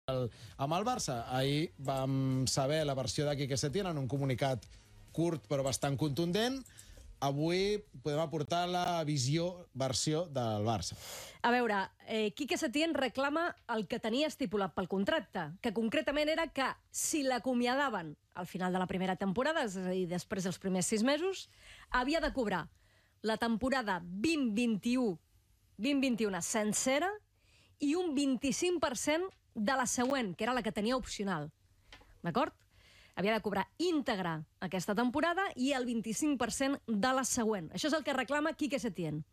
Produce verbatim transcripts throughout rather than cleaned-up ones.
El, amb el Barça, ahir vam saber la versió de Quique Setién en un comunicat curt però bastant contundent. Avui podem aportar la visió, versió del Barça. A veure, eh, Quique Setién reclama el que tenia estipulat pel contracte, que concretament era que si l'acomiadaven al final de la primera temporada, és a dir, després dels primers sis mesos, havia de cobrar la temporada vint vint-i-u vint vint-i-u sencera i un vint-i-cinc per cent de la següent, que era la que tenia opcional. D'acord? Havia de cobrar íntegra aquesta temporada i el vint-i-cinc per cent de la següent. Això és el que reclama Quique Setién.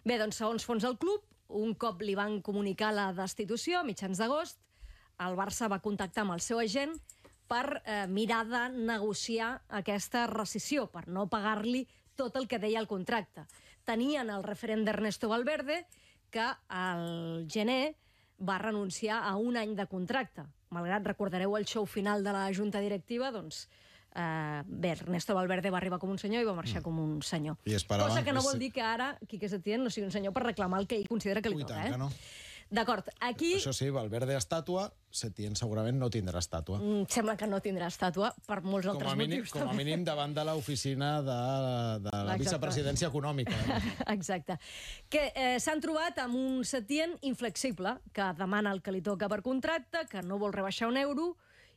Bé, doncs, segons fons del club, un cop li van comunicar la destitució, a mitjans d'agost, el Barça va contactar amb el seu agent per eh, mirar de negociar aquesta rescissió, per no pagar-li tot el que deia el contracte. Tenien el referent d'Ernesto Valverde, que al gener va renunciar a un any de contracte. Malgrat, recordareu el show final de la junta directiva, doncs, eh, bé, Ernesto Valverde va arribar com un senyor i va marxar mm. com un senyor. Cosa que no vol dir que ara Quique Setién no sigui un senyor per reclamar el que ell considera que li toca. Eh? No. D'acord, aquí... Això sí, Valverde estàtua, Setién segurament no tindrà estàtua. Mm, sembla que no tindrà estàtua per molts com altres mínim, motius. Com a mínim davant de l'oficina de, de la Exacte. vicepresidència econòmica. Eh? Exacte. Que eh, s'han trobat amb un Setién inflexible, que demana el que li toca per contracte, que no vol rebaixar un euro,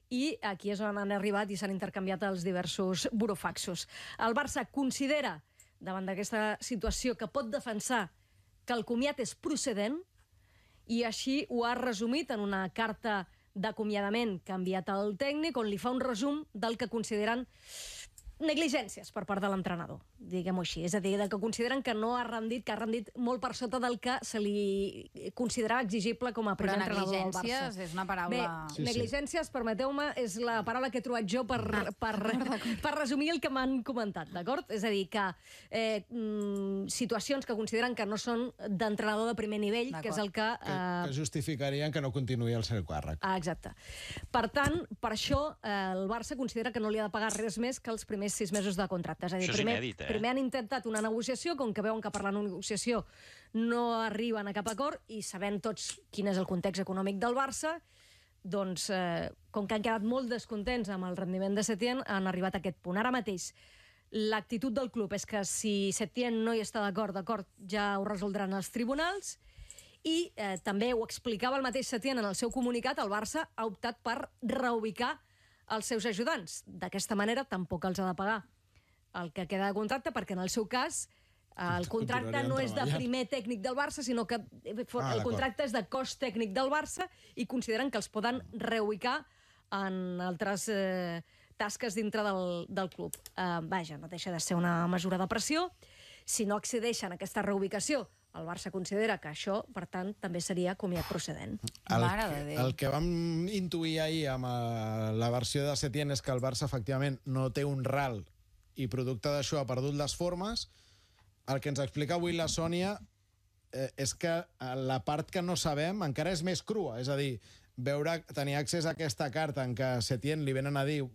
i aquí és on han arribat i s'han intercanviat els diversos burofaxos. El Barça considera, davant d'aquesta situació, que pot defensar que el comiat és procedent, i així ho ha resumit en una carta d'acomiadament que ha enviat al tècnic, on li fa un resum del que consideren negligències per part de l'entrenador, diguem-ho així. És a dir, del que consideren que no ha rendit, que ha rendit molt per sota del que se li considerava exigible com a primer entrenador del Barça. Però negligències és una paraula... Bé, sí, negligències, sí. permeteu-me, és la paraula que he trobat jo per, ah, per, per resumir el que m'han comentat, d'acord? És a dir, que eh, mm, situacions que consideren que no són d'entrenador de primer nivell, que és el que... Eh... Que, que justificarien que no continuï el seu càrrec. Ah, exacte. Per tant, per això eh, el Barça considera que no li ha de pagar res més que els primers sis mesos de contracte. És a dir, Això primer, és inèdit, eh? primer han intentat una negociació, com que veuen que per la negociació no arriben a cap acord, i sabent tots quin és el context econòmic del Barça, doncs, eh, com que han quedat molt descontents amb el rendiment de Setién, han arribat a aquest punt. Ara mateix, l'actitud del club és que si Setién no hi està d'acord, d'acord, ja ho resoldran els tribunals, i eh, també ho explicava el mateix Setién en el seu comunicat, el Barça ha optat per reubicar els seus ajudants. D'aquesta manera tampoc els ha de pagar el que queda de contracte, perquè en el seu cas el contracte no és de primer tècnic del Barça, sinó que el contracte és de cos tècnic del Barça, i consideren que els poden reubicar en altres eh, tasques dintre del, del club. Eh, vaja, no deixa de ser una mesura de pressió. Si no accedeixen a aquesta reubicació, el Barça considera que això, per tant, també seria comiat procedent. El, que, el que vam intuir ahir amb la versió de Setién és que el Barça, efectivament, no té un ral i producte d'això ha perdut les formes. El que ens explica avui la Sònia eh, és que la part que no sabem encara és més crua. És a dir, veure, tenir accés a aquesta carta en què Setién li venen a dir...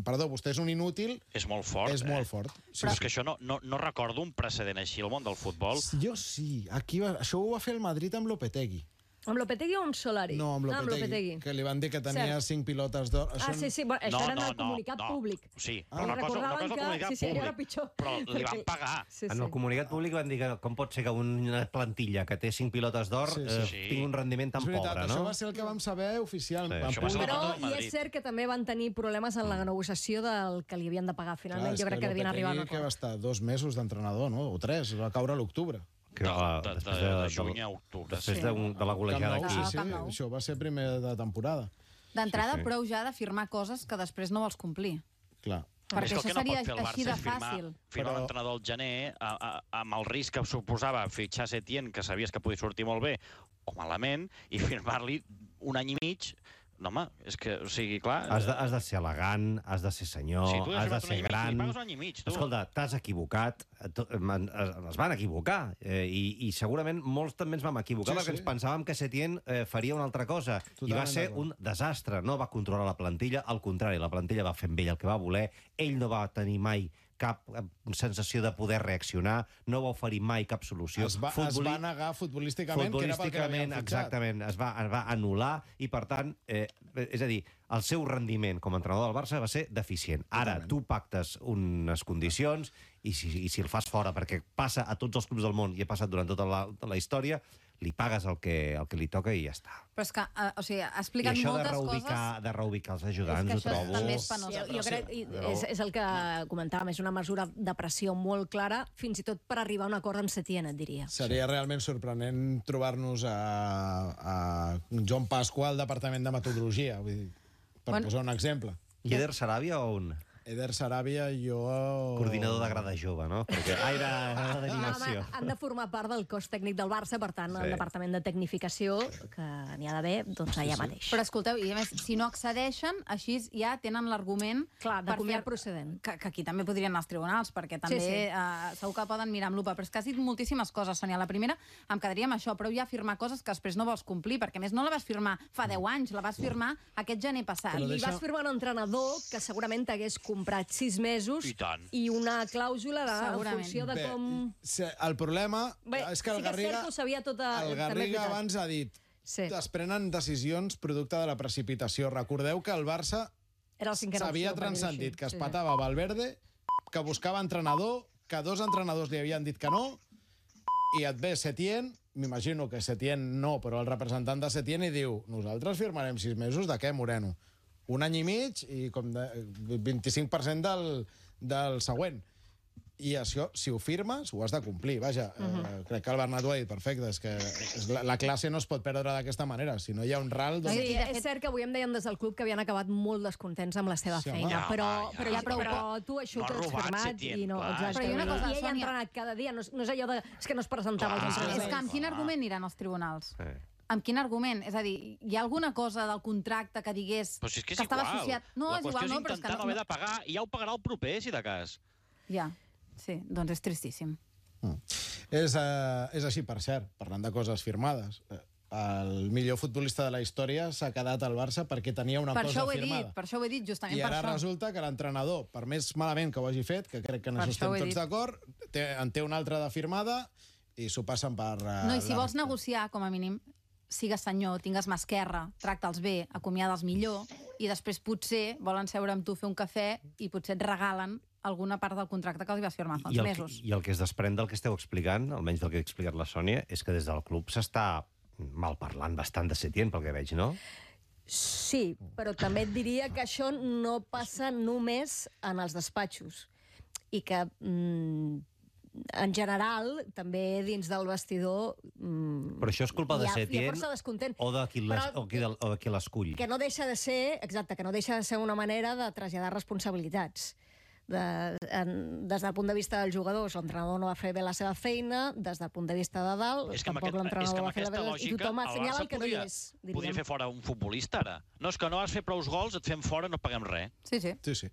Perdó, vostè és un inútil... És molt fort, És eh? molt fort. Sí, Però és que això no, no, no recordo un precedent així al món del futbol. Jo sí. Aquí va, això ho va fer el Madrid amb Lopetegui. Amb Lopetegui o amb Solari? No, amb Lopetegui, ah, amb Lopetegui. Que li van dir que tenia Cert. cinc pilotes d'or. Ah, sí, sí, bueno, això no, era en no, el comunicat no, públic. Sí, però ah. una cosa, una cosa que... comunicat sí, sí, públic. Era pitjor. Però li van pagar. Sí, sí. En el comunicat públic van dir que com pot ser que una plantilla que té cinc pilotes d'or sí, sí. eh, tingui un rendiment tan veritat, pobre, no? Això va ser el que vam saber oficialment. Sí, públic. Però i és cert que també van tenir problemes en la negociació del que li havien de pagar. Finalment, Clar, jo crec que, que devien arribar a un acord. Que va estar dos mesos d'entrenador, no? O tres, va caure a l'octubre. De, de, de, de, de juny a octubre. Després sí. de, de la golejada aquí. Sí, sí, això va ser primer de temporada. D'entrada, sí, sí. prou ja d'afirmar coses que després no vols complir. Clar. Perquè això seria així de firmar, fàcil. Firmar Però... l'entrenador al gener, a, a, amb el risc que suposava fitxar Setién, que sabies que podia sortir molt bé o malament, i firmar-li un any i mig... No, home, és que, o sigui, clar... Has de, has de ser elegant, has de ser senyor, sí, has de ser gran... Mig, un any i mig, tu. Escolta, t'has equivocat, es van equivocar, eh, i, i segurament molts també ens vam equivocar, sí, perquè sí. ens pensàvem que Setién eh, faria una altra cosa, Totalment i va ser un desastre. No va controlar la plantilla, al contrari, la plantilla va fer amb ell el que va voler, ell no va tenir mai cap sensació de poder reaccionar, no va oferir mai cap solució. Es va, Futboli... es va negar futbolísticament, que era pel que l'havien fitxat. Exactament, es va, es va anul·lar i, per tant, eh, és a dir, el seu rendiment com a entrenador del Barça va ser deficient. Ara, Totalment. tu pactes unes condicions i si, i si el fas fora, perquè passa a tots els clubs del món i ha passat durant tota la, tota la història, li pagues el que, el que li toca i ja està. Però és que, uh, o sigui, ha explicat moltes coses... I això de reubicar, de reubicar els ajudants, ho trobo... També és penós. Sí, jo crec, i és, és el que comentàvem, és una mesura de pressió molt clara, fins i tot per arribar a un acord amb Setién, et diria. Seria realment sorprenent trobar-nos a, a Joan Pasqua al Departament de Metodologia, vull dir, per bueno. posar un exemple. I Eder Sarabia o un? Eder Sarabia, jo... Coordinador de grada jove, no? Perquè aire d'animació. Han de formar part del cos tècnic del Barça, per tant, sí. el departament de tecnificació, que n'hi ha d'haver, doncs allà sí, sí. mateix. Però escolteu, i a més, si no accedeixen, així ja tenen l'argument... Clar, de comiat procedent. Que, que aquí també podrien anar als tribunals, perquè també sí, sí. Uh, segur que poden mirar amb lupa. Però és que has dit moltíssimes coses, Sònia. La primera, em quedaria amb això, però ja firmar coses que després no vols complir, perquè més no la vas firmar fa deu anys, la vas firmar aquest gener passat. I deixa... vas firmar un entrenador que segurament t'hagués comprat sis mesos I, i una clàusula de, en funció de Bé, com... El problema Bé, és que el sí que Garriga, cert, sabia tota, el Garriga abans ha dit sí. es prenen decisions producte de la precipitació. Recordeu que el Barça s'havia transcendit, que es patava Valverde, que buscava entrenador, que dos entrenadors li havien dit que no, i et ve Setién, m'imagino que Setién no, però el representant de Setién i diu, nosaltres firmarem sis mesos de què, Moreno? Un any i mig i com de vint-i-cinc per cent del, del següent. I això, si ho firmes, ho has de complir. Vaja, uh -huh. eh, crec que el Bernat ho ha dit perfecte, és que és la, la classe no es pot perdre d'aquesta manera. Si no hi ha un ral... Doncs... Sí, és cert que avui em deien des del club que havien acabat molt descontents amb la seva sí, feina, ja, però, ja, però, ja, però, però tu això no ho has firmat i no... Exacte. Però hi ha una cosa, I ell ha entrenat cada dia, no, no és allò de... És que no es presentava als entrenaments. És que amb quin argument iran als tribunals? Sí. Amb quin argument? És a dir, hi ha alguna cosa del contracte que digués però si és que, és que estava igual. associat... No, la és igual, no, però és que no... no haver de pagar i ja ho pagarà el proper, si de cas. Ja, sí, doncs és tristíssim. Mm. És, uh, és així, per cert, parlant de coses firmades. El millor futbolista de la història s'ha quedat al Barça perquè tenia una per cosa ho he firmada. Dit, per això ho he dit, justament I per ara això. resulta que l'entrenador, per més malament que ho hagi fet, que crec que en per això estem tots dit. d'acord, en té una altra de firmada i s'ho passen per... Uh, no, i si vols recta. negociar, com a mínim, sigues senyor, tingues mà esquerra, tracta'ls bé, acomiada'ls millor, i després potser volen seure amb tu, fer un cafè, i potser et regalen alguna part del contracte que els vas firmar fa uns I el, mesos. I el que es desprèn del que esteu explicant, almenys del que ha explicat la Sònia, és que des del club s'està malparlant bastant de Setién, pel que veig, no? Sí, però també et diria que això no passa només en els despatxos. I que... Mm, en general, també dins del vestidor... Mm, però això és culpa de Setién o de qui Però, l'escull? Que no deixa de ser, exacte, que no deixa de ser una manera de traslladar responsabilitats. De, en, des del punt de vista dels jugadors, l'entrenador no va fer bé la seva feina, des del punt de vista de dalt, és que tampoc aquest, l'entrenador és va fer la feina, i tothom assenyala el que no hi és. Diríem. Podria fer fora un futbolista, ara. No, és que no has fet prou gols, et fem fora, no paguem res. Sí, sí. sí, sí.